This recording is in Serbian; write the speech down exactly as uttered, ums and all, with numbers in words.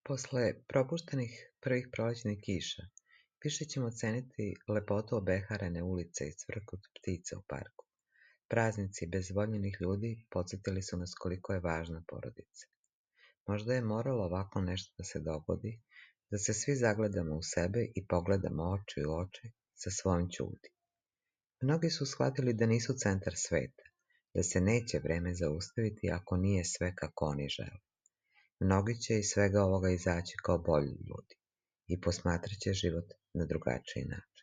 Posle propuštenih prvih prolećnih kiša, više ćemo ceniti lepotu obeharene ulice i cvrkut ptica u parku. Praznici bez voljenih ljudi podsjetili su nas koliko je važna porodica. Možda je moralo ovako nešto da se dogodi, da se svi zagledamo u sebe i pogledamo oči u oči sa svojom ćudi. Mnogi su shvatili da nisu centar sveta, da se neće vreme zaustaviti ako nije sve kako oni žele. Mnogi će iz svega ovoga izaći kao bolji ljudi i posmatraće život na drugačiji način.